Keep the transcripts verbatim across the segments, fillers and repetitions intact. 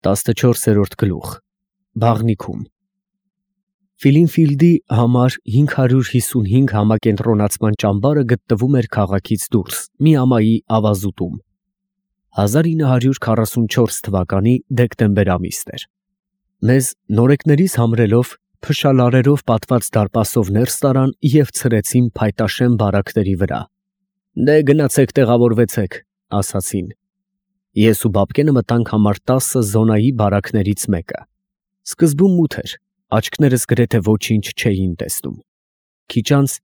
տասնչորսերորդ գլուխ Բաղնիքում Ֆիլինֆիլդի համար հինգ հարյուր հիսունհինգ համակենտրոնացման ճամբարը գտնվում էր քաղաքից դուրս մի ամայի ավազուտում։ հազար ինը հարյուր քառասունչորս թվականի դեկտեմբեր ամիսն էր։ Մեզ նորեկներից համրելով փշալարերով պատված դարպասով ներս տարան և ցրեցին փայտաշեն բարակների վրա։ «Դե գնացեք տեղավորվեցեք», ասացին։ Ես ու Բաբկենը մտանք համար տասը զոնայի բարակներից մեկը։ Սկզբում մութ էր, աչքներս գրեթե ոչինչ չէին տեսնում։ Քիչ անց,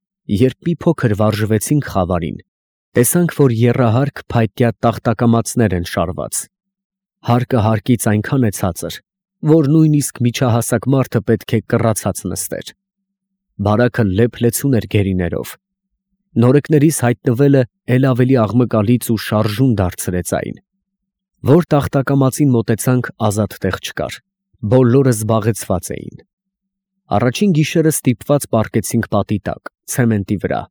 երբ մի փոքր վարժվեցինք խավարին, տեսանք, որ եռահարկ փայտյա տախտակամածներ են շարված։ Հարկը հարկից այնքան է ցածր, որ նույնիսկ միջահասակ մարդը պետք է կռացած նստեր։ Բարակը լեփ-լեցուն էր գերիներով։ Նորեկներիս հայտնվելը էլ ավելի աղմկալից ու շարժուն դարձրեց այն։ Որ տախտակամածին մոտեցանք, ազատ տեղ չկար, բոլորը զբաղեցված էին։ Առաջին գիշերը ստիպված պառկեցինք պատի տակ, ցեմենտի վրա։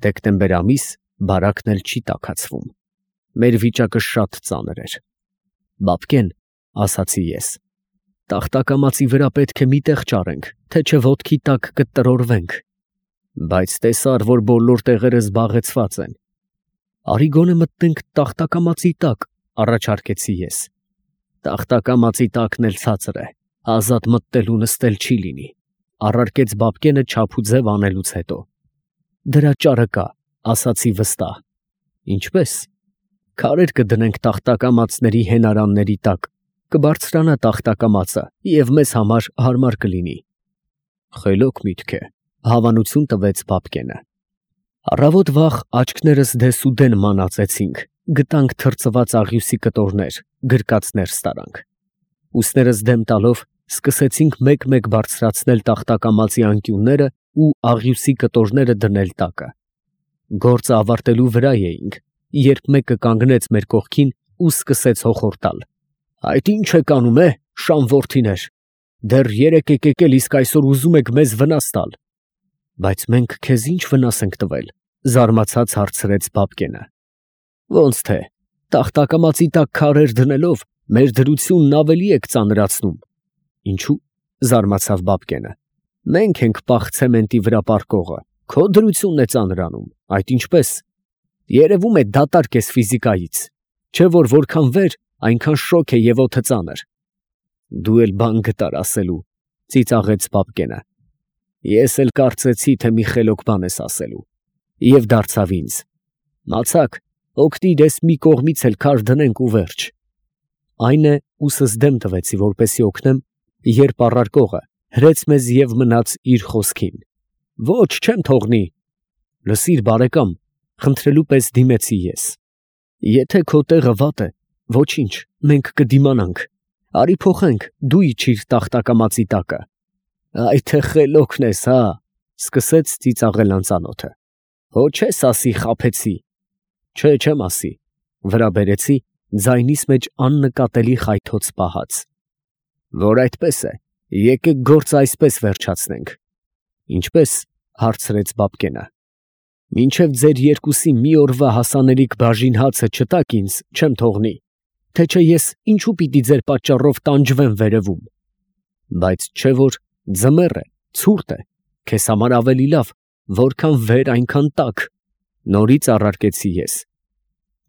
Դեկտեմբեր ամիս, բարակն էլ չի տաքացվում։ Մեր վիճակը շատ ծանր էր։ «Բաբկեն», ասացի ես, «տախտակամածի վրա պետք է մի տեղ ճարենք, թե չէ ոտքի տակ կտրորվենք»։ «Բայց տեսար, որ բոլոր տեղերը զբաղեցված են»։ «Արի գոնե մտնենք տախտակամածի տակ», առաջարկեցի ես։ «Տախտակամածի տակն էլ ցածր է, ազատ մտնել ու նստել չի լինի», առարկեց Բաբկենը չափուձև անելուց հետո։ «Դրա ճարը կա», ասացի վստահ։ «Ինչպե՞ս»։ «Քարեր կդնենք տախտակամածների հենարանների տակ, կբարձրանա տախտակամածը և մեզ համար հարմար կլինի»։ «Խելոք միտք է», հավանություն տվեց Բաբկենը։ Առավոտ վաղ աչքներս դեսուդեն մանածեցինք, գտանք թրծված աղյուսի կտորներ, գրկած ներս տարանք։ Ուսներս դեմ տալով սկսեցինք մեկ֊մեկ բարձրացնել տախտակամածի անկյունները ու աղյուսի կտորները դնել տակը։ Գործը ավարտելու վրա էինք, երբ մեկը կանգնեց մեր կողքին ու սկսեց հոխորտալ. «Այդ ի՞նչ եք անում, է, շան որդիներ, դեռ երեկ եք եկել, իսկ այսօր ուզում եք մեզ վնաս տալ»։ «Բայց մենք քեզ ի՞նչ վնաս ենք տվել», զարմացած հարցրեց Բաբկենը։ «Ոնց թե, տախտակամածի տակ քարեր դնելով մեր դրությունն ավելի եք ծանրացնում»։ «Ինչու՞», զարմացավ Բաբկենը։ «Մենք ենք պաղ ցեմենտի վրա պառկողը, քո դրությունն է ծանրանում, այդ ինչպես։ Երևում է դատարկ ես ֆիզիկայից, չէ՞ որ որքան վեր, այնքան շոգ է և օդը ծանր»։ «Դու էլ բան գտար ասելու», ծիծաղեց Բաբկենը։ Ես էլ կարծեցի, թե մի խելոք բան ես ասելու, և դարձավ ինձ. «Մացակ, օգնիր էս մի կողմից էլ քար դնենք ու վերջ»։ Այն է, ուսս դեմ տվեցի, որպեսզի օգնեմ, երբ առարկողը հրեց մեզ և մնաց իր խոսքին։ «Ոչ, չեմ թողնի»։ «Լսիր, բարեկամ», խնդրելու պես դիմեցի ես, «եթե քո տեղը վատ է, ոչինչ, մենք կդիմանանք, արի փոխենք, դու իջիր տախտակամածի տակը»։ «Այ թե խելոքն ես, հա», սկսեց ծիծաղել անծանոթը։ «Հո չես ասի խաբեցի»։ «Չէ, չեմ ասի», վրա բերեցի, ձայնիս մեջ աննկատելի խայթոց պահած։ «Որ այդպես է, եկեք գործը այսպես վերջացնենք»։ «Ինչպես», հարցրեց Բաբկենը։ «Մինչև ձեր երկուսի մի օրվա հասանելիք բաժին հացը չտաք ինձ, չեմ թողնի, թե չէ ես ինչու պիտի ձեր պատճառով տանջվեմ վերևում»։ «Բայց չէ որ ձմեռ է, ցուրտ է, քեզ համար ավելի լավ, որքան վեր այնքան տաք», նորից առարկեցի ես։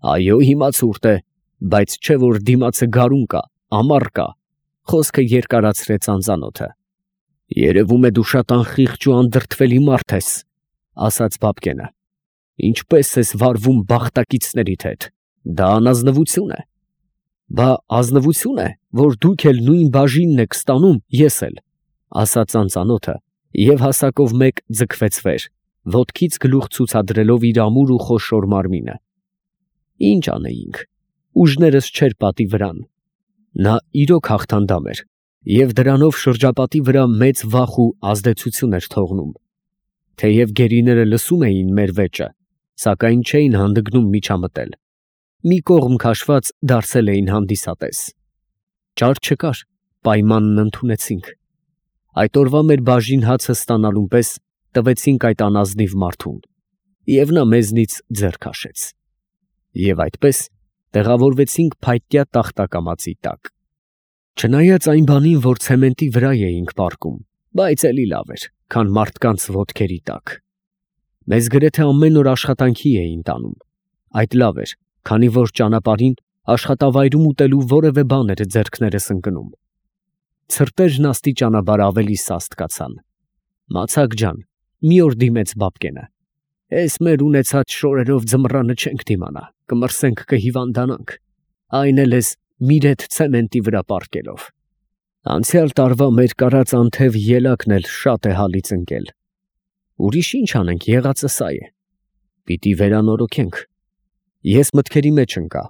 «Այո, հիմա ցուրտ է, բայց չէ որ դիմացը գարուն կա, ամառ կա», խոսքը երկարացրեց անծանոթը։ «Երևում է դու շատ անխիղճ ու անդրդվելի մարդ ես», ասաց Բաբկենը։ «Ինչպես ես վարվում բախտակիցներիդ հետ, դա անազնվություն է»։ «Բա ազնվություն է, որ դուք էլ նույն բաժինն եք ստանում, ես էլ», ասաց անծանոթը և հասակով մեկ ձգվեց վեր, ոտքից գլուխ ցուցադրելով իր ամուր ու խոշոր մարմինը։ Ինչ անեինք, ուժներս չէր պատի վրան։ Նա իրոք հաղթանդամ էր և դրանով շրջապատի վրա մեծ վախ ու ազդեցություն էր թողնում։ Թեև գերիները լսում էին մեր վեճը, սակայն չէին հանդգնում միջամտել։ Մի կողմ քաշված դարձել էին հանդիսատես։ Ճար չկար, պայմանն ընդունեցինք։ Այդ օրվա մեր բաժին հացը ստանալուն պես տվեցինք այդ անազնիվ մարդուն, և նա մեզնից ձեռ քաշեց։ Եվ այդպես տեղավորվեցինք փայտյա տախտակամածի տակ։ Չնայած այն բանին, որ ցեմենտի վրա էինք պառկում, բայց էլի լավ էր, քան մարդկանց ոտքերի տակ։ Մեզ գրեթե ամեն օր աշխատանքի էին տանում։ Այդ լավ էր, քանի որ ճանապարհին աշխատավայրում ուտելու որևէ բան էր ձեռքներս ընկնում։ Ցրտերն աստիճանաբար ավելի սաստ կացան։ Մացակ ջան, մի օր դիմեց Բաբկենը. «Էս մեր ունեցած շորերով ձմռանը չենք դիմանա, կմրսենք, կհիվանդանանք, այն էլ էս միրետ ցեմենտի վրա պառկելով։ Անցյալ տարվա մեր կարած անթև ելակն էլ շատ է հալից ընկել։ Ուրիշ ինչ անենք, եղածը սա է։ Պիտի վերանորոգենք»։ Ես մտքերի մեջ ընկա.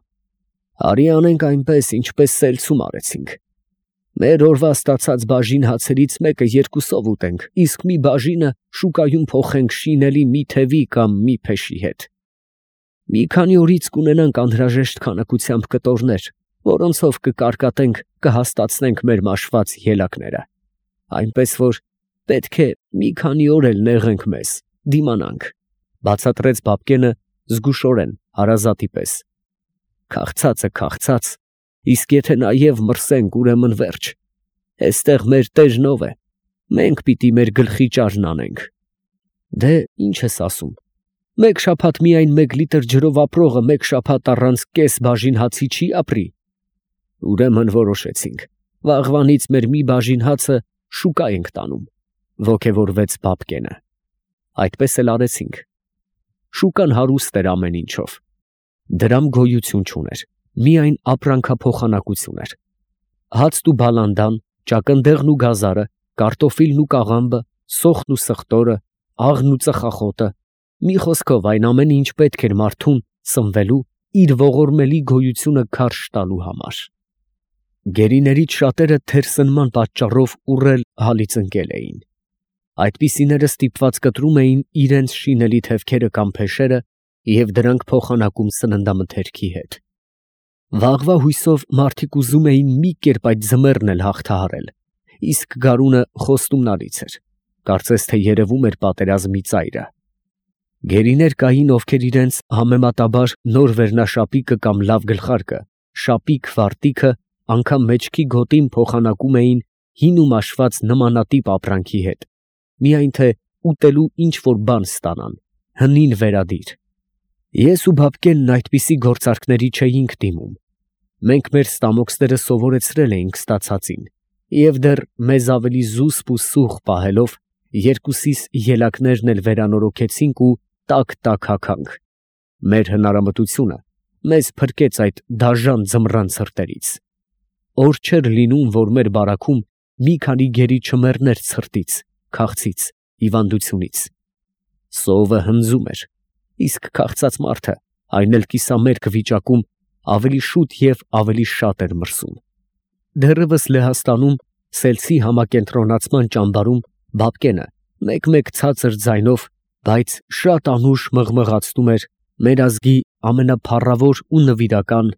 «Արի անենք այնպես, ինչպես սելցում արեցինք։ Մեր օրվա ստացած բաժին հացերից մեկը երկուսով ուտենք, իսկ մի բաժինը շուկայում փոխենք շինելի մի թևի կամ մի փեշի հետ։ Մի քանի օրից կունենանք անհրաժեշտ քանակությամբ կտորներ, որոնցով կկարկատենք, կհաստացնենք մեր մաշված ելակները, այնպես որ պետք է մի քանի օր էլ նեղենք մեզ, դիմանանք», բացատրեց Բաբկենը զգուշորեն, հարազատի պես։ «Քաղցածը քաղցած, իսկ եթե նաև մրսենք, ուրեմն վերջ։ Էստեղ մեր տերն ով է, մենք պիտի մեր գլխի ճարն անենք։ Դե ինչ ես ասում, մեկ շաբաթ միայն մեկ լիտր ջրով ապրողը մեկ շաբաթ առանց կես բաժին հացի չի ապրի։ Ուրեմն որոշեցինք, վաղվանից մեր մի բաժին հացը շուկա ենք տանում», ոգևորվեց Բաբկենը։ Այդպես էլ արեցինք։ Շուկան հարուստ էր ամեն ինչով։ Դրամ գոյություն չուներ, միայն ապրանքափոխանակություն էր։ Հացն ու բալանդան, ճակնդեղն ու գազարը, կարտոֆիլն ու կաղամբը, սոխն ու սխտորը, աղն ու ծխախոտը, մի խոսքով այն ամեն ինչ պետք էր մարդուն սնվելու, իր ողորմելի գոյությունը քարշ տալու համար։ Գերիներից շատերը թերսնման պատճառով ուռել հալից ընկել էին։ Այդպիսիները ստիպված կտրում էին իրենց շինելի թևքերը կամ փեշերը և դրանք փոխանակում սննդամթերքի հետ։ Վաղվա հույսով մարդիկ ուզում էին մի կերպ այդ ձմեռն էլ հաղթահարել, իսկ գարունը խոստումնալից էր, կարծես թե երևում էր պատերազմի ծայրը։ Գերիներ կային, ովքեր իրենց համեմատաբար նոր վերնաշապիկը կամ լավ գլխարկը, շապիկ վարտիքը անգամ մեջքի գոտին փոխանակում էին հին ու մաշված նմանատիպ ապրանքի հետ, միայն թե ուտելու ինչ-որ բան ստանան, հնին վերադիր։ Ես ու Բաբկենն այդպիսի գործարքների չէինք դիմում։ Մենք մեր ստամոքսները սովորեցրել էինք ստացածին, և դեռ մեզ ավելի զուսպ ու սուղ պահելով, երկուսիս ելակներն էլ վերանորոգեցինք ու տաք-տաք հագանք։ Մեր հնարամտությունը մեզ փրկեց այդ դաժան ձմռան ցրտերից։ Օր չէր լինում, որ մեր բարաքում մի քանի գերի չմեռներ ցրտից, քաղցից, հիվանդությունից։ Սովը հնձում էր, իսկ քաղցած մարդը, այն էլ կիսամերկ վիճակում, ավելի շուտ և ավելի շատ էր մրսում։ Դեռևս Լեհաստանում սելցի համակենտրոնացման ճամբարում Բաբկենը մեկ-մեկ ցածր ձայնով, բայց շատ անուշ մղմղացնում էր մեր ազգի ամենափառավոր ու նվիրական,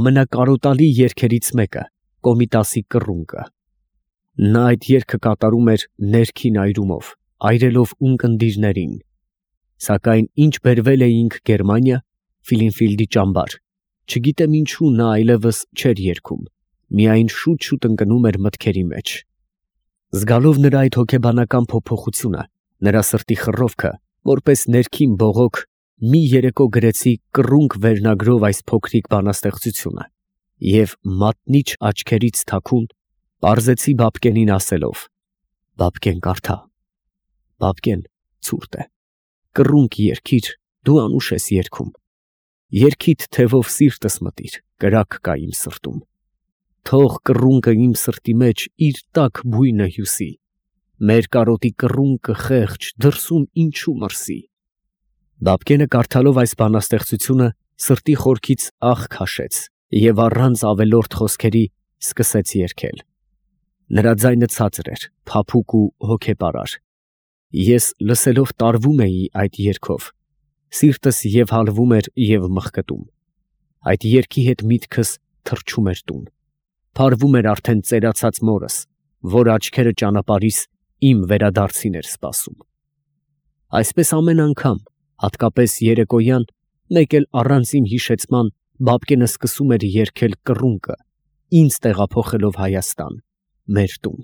ամենակարոտալի երգերից մեկը՝ Կոմիտասի կռունկը։ Նա այդ երգը կատարում էր ներքին այրումով, այրելով ունկնդիրներին։ Սակայն ինչ բերվել էինք Գերմանիա, Ֆիլինֆիլդի ճամբար, չգիտեմ ինչու նա այլևս չէր երգում, միայն շուտ-շուտ ընկնում էր մտքերի մեջ։ Զգալով նրա այդ հոգեբանական փոփոխությունը, նրա սրտի խռովքը, որպես ներքին բողոք, մի երեկո գրեցի «Կռունկ» վերնագրով այս փոքրիկ բանաստեղծությունը և մատնիչ աչքերից թաքուն պարզեցի Բաբկենին ասելով. «Բաբկեն, կարդա»։ Բաբկեն, ցուրտ է, կռունկ երգիր, դու անուշ ես երգում։ Երգիդ թևով սիրտս մտիր, կրակ կա իմ սրտում։ Թող կռունկը իմ սրտի մեջ իր տաք բույնը հյուսի, մեր կարոտի կռունկը խեղճ դրսում ինչու մրսի։ Բաբկենը կարդալով այս բանաստեղծությունը սրտի խորքից աղ քաշեց և առանց ավելորդ խոսքերի սկսեց երգել։ Նրա ձայնը ցածր էր, փափուկ ու հոգեպարար։ Ես լսելով տարվում էի այդ երգով, սիրտս և հալվում էր և մխկտում։ Այդ երգի հետ միտքս թռչում էր տուն, փարվում էր արդեն ծերացած մորս, որ աչքերը ճանապարհիս իմ վերադարձին էր սպասում։ Այսպես ամեն անգամ, հատկապես երեկոյան, մեկ էլ առանց իմ հիշեցման, Բաբկենը սկսում էր երգել կռունկը, ինձ տեղափոխելով Հայաստան, մեր տուն։